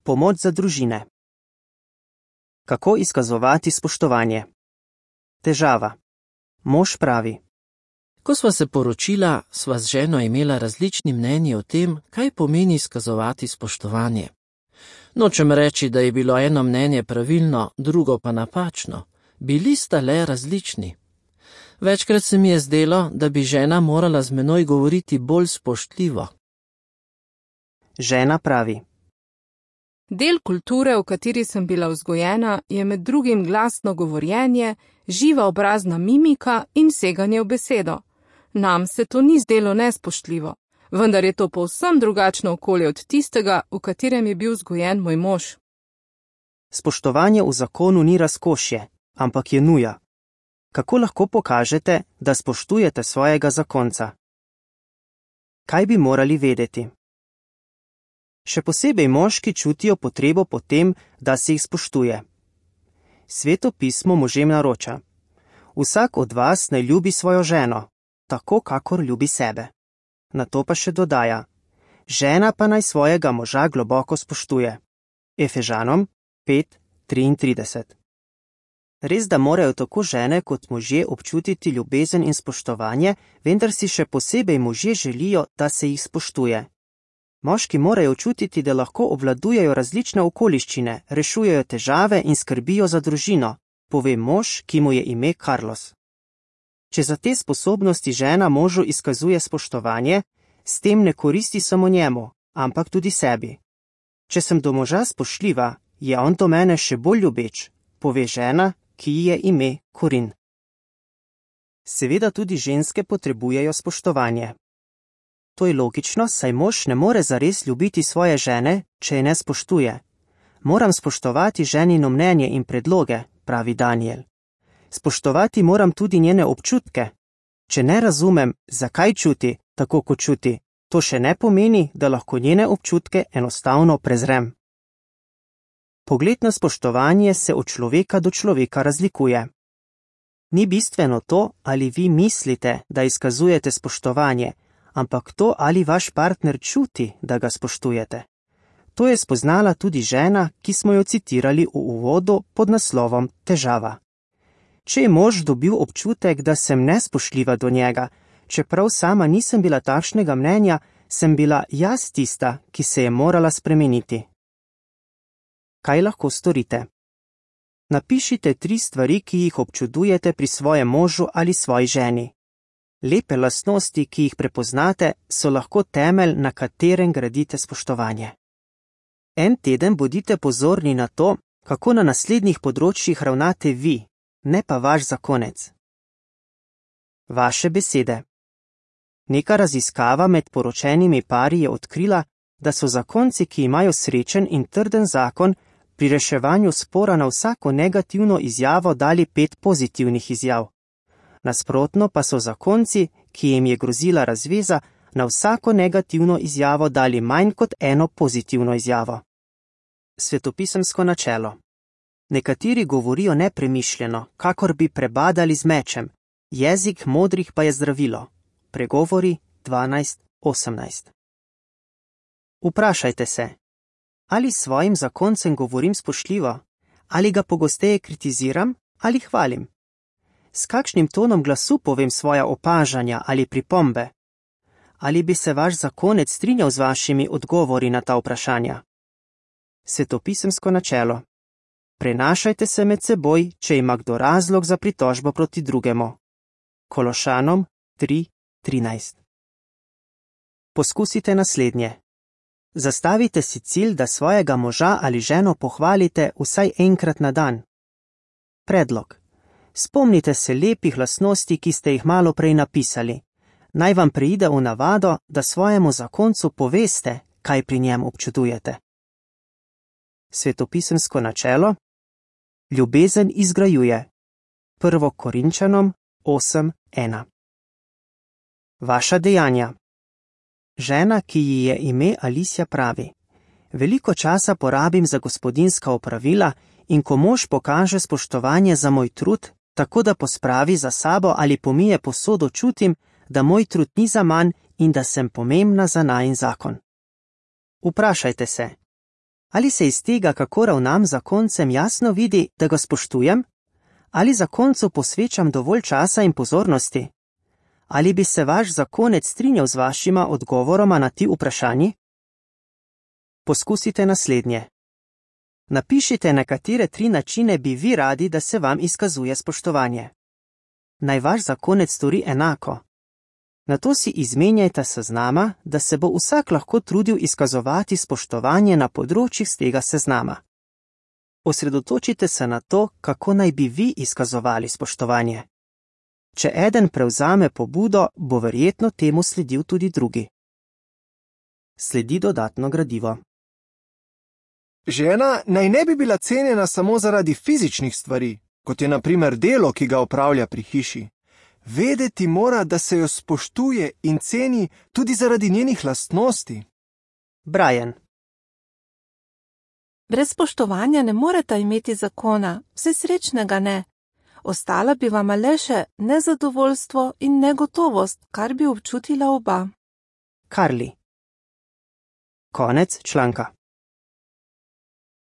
Pomoč za družine. Kako izkazovati spoštovanje? Težava. Mož pravi: Ko sva se poročila, sva z ženo imela različni mnenji o tem, kaj pomeni izkazovati spoštovanje. Nočem reči, da je bilo eno mnenje pravilno, drugo pa napačno. Bili sta le različni. Večkrat se mi je zdelo, da bi žena morala z menoj govoriti bolj spoštljivo. Žena pravi: Del kulture, v kateri sem bila vzgojena, je med drugim glasno govorjenje, živa obrazna mimika in seganje v besedo. Nam se to ni zdelo nespoštljivo, vendar je to povsem drugačno okolje od tistega, v katerem je bil vzgojen moj mož. Spoštovanje v zakonu ni razkošje, ampak je nuja. Kako lahko pokažete, da spoštujete svojega zakonca? Kaj bi morali vedeti? Še posebej moški čutijo potrebo po tem, da se jih spoštuje. Sveto pismo možem naroča: Vsak od vas naj ljubi svojo ženo, tako kakor ljubi sebe. Nato pa še dodaja: Žena pa naj svojega moža globoko spoštuje. Efežanom 5:33. Res, da morajo tako žene kot možje občutiti ljubezen in spoštovanje, vendar si še posebej možje želijo, da se jih spoštuje. Moški morajo čutiti, da lahko obvladujejo različne okoliščine, rešujejo težave in skrbijo za družino, pove mož, ki mu je ime Carlos. Če za te sposobnosti žena možu izkazuje spoštovanje, s tem ne koristi samo njemu, ampak tudi sebi. Če sem do moža spoštljiva, je on do mene še bolj ljubeč, pove žena, ki ji je ime Korin. Seveda tudi ženske potrebujejo spoštovanje. To je logično, saj mož ne more zares ljubiti svoje žene, če je ne spoštuje. Moram spoštovati ženino mnenje in predloge, pravi Daniel. Spoštovati moram tudi njene občutke. Če ne razumem, zakaj čuti, tako kot čuti, to še ne pomeni, da lahko njene občutke enostavno prezrem. Pogled na spoštovanje se od človeka do človeka razlikuje. Ni bistveno to, ali vi mislite, da izkazujete spoštovanje, ampak to, ali vaš partner čuti, da ga spoštujete. To je spoznala tudi žena, ki smo jo citirali v uvodu pod naslovom Težava. Če je mož dobil občutek, da sem nespoštljiva do njega, čeprav sama nisem bila takšnega mnenja, sem bila jaz tista, ki se je morala spremeniti. Kaj lahko storite? Napišite 3 stvari, ki jih občudujete pri svojem možu ali svoji ženi. Lepe lastnosti, ki jih prepoznate, so lahko temelj, na katerem gradite spoštovanje. En teden bodite pozorni na to, kako na naslednjih področjih ravnate vi, ne pa vaš zakonec. Vaše besede. Neka raziskava med poročenimi pari je odkrila, da so zakonci, ki imajo srečen in trden zakon, pri reševanju spora na vsako negativno izjavo dali 5 pozitivnih izjav. Nasprotno pa so zakonci, ki jim je grozila razveza, na vsako negativno izjavo dali manj kot 1 pozitivno izjavo. Svetopisemsko načelo. Nekateri govorijo nepremišljeno, kakor bi prebadali z mečem, jezik modrih pa je zdravilo. Pregovori 12:18. Vprašajte se, ali s svojim zakoncem govorim spoštljivo, ali ga pogosteje kritiziram ali hvalim. S kakšnim tonom glasu povem svoja opažanja ali pripombe? Ali bi se vaš zakonec strinjal z vašimi odgovori na ta vprašanja? Svetopisemsko načelo. Prenašajte se med seboj, če ima kdo razlog za pritožbo proti drugemu. Kološanom 3:13. Poskusite naslednje. Zastavite si cilj, da svojega moža ali ženo pohvalite vsaj enkrat na dan. Predlog. Spomnite se lepih lastnosti, ki ste jih malo prej napisali. Naj vam preide v navado, da svojemu zakoncu poveste, kaj pri njem občudujete. Svetopisemsko načelo. Ljubezen izgrajuje. 1. Korinčanom 8:1. Vaša dejanja. Žena, ki ji je ime Alicia, pravi: Veliko časa porabim za gospodinjska opravila in ko mož pokaže spoštovanje za moj trud, tako da pospravi za sabo ali pomije posodo, čutim, da moj trud ni zaman in da sem pomembna za najin zakon. Vprašajte se, Ali se iz tega, kako ravnam z zakoncem, jasno vidi, da ga spoštujem? Ali zakoncu posvečam dovolj časa in pozornosti? Ali bi se vaš zakonec strinjal z vašima odgovoroma na ti vprašanji? Poskusite naslednje. Napišite, na katere 3 načine bi vi radi, da se vam izkazuje spoštovanje. Naj vaš zakonec stori enako. Nato si izmenjajte seznama, da se bo vsak lahko trudil izkazovati spoštovanje na področjih z tega seznama. Osredotočite se na to, kako naj bi vi izkazovali spoštovanje. Če eden prevzame pobudo, bo verjetno temu sledil tudi drugi. Sledi dodatno gradivo. Žena naj ne bi bila cenjena samo zaradi fizičnih stvari, kot je na primer delo, ki ga opravlja pri hiši. Vedeti mora, da se jo spoštuje in ceni tudi zaradi njenih lastnosti. Brian. Brez spoštovanja ne moreta imeti zakona, vse srečnega ne. Ostala bi vama le še nezadovoljstvo in negotovost, kar bi občutila oba. Carly. Konec članka.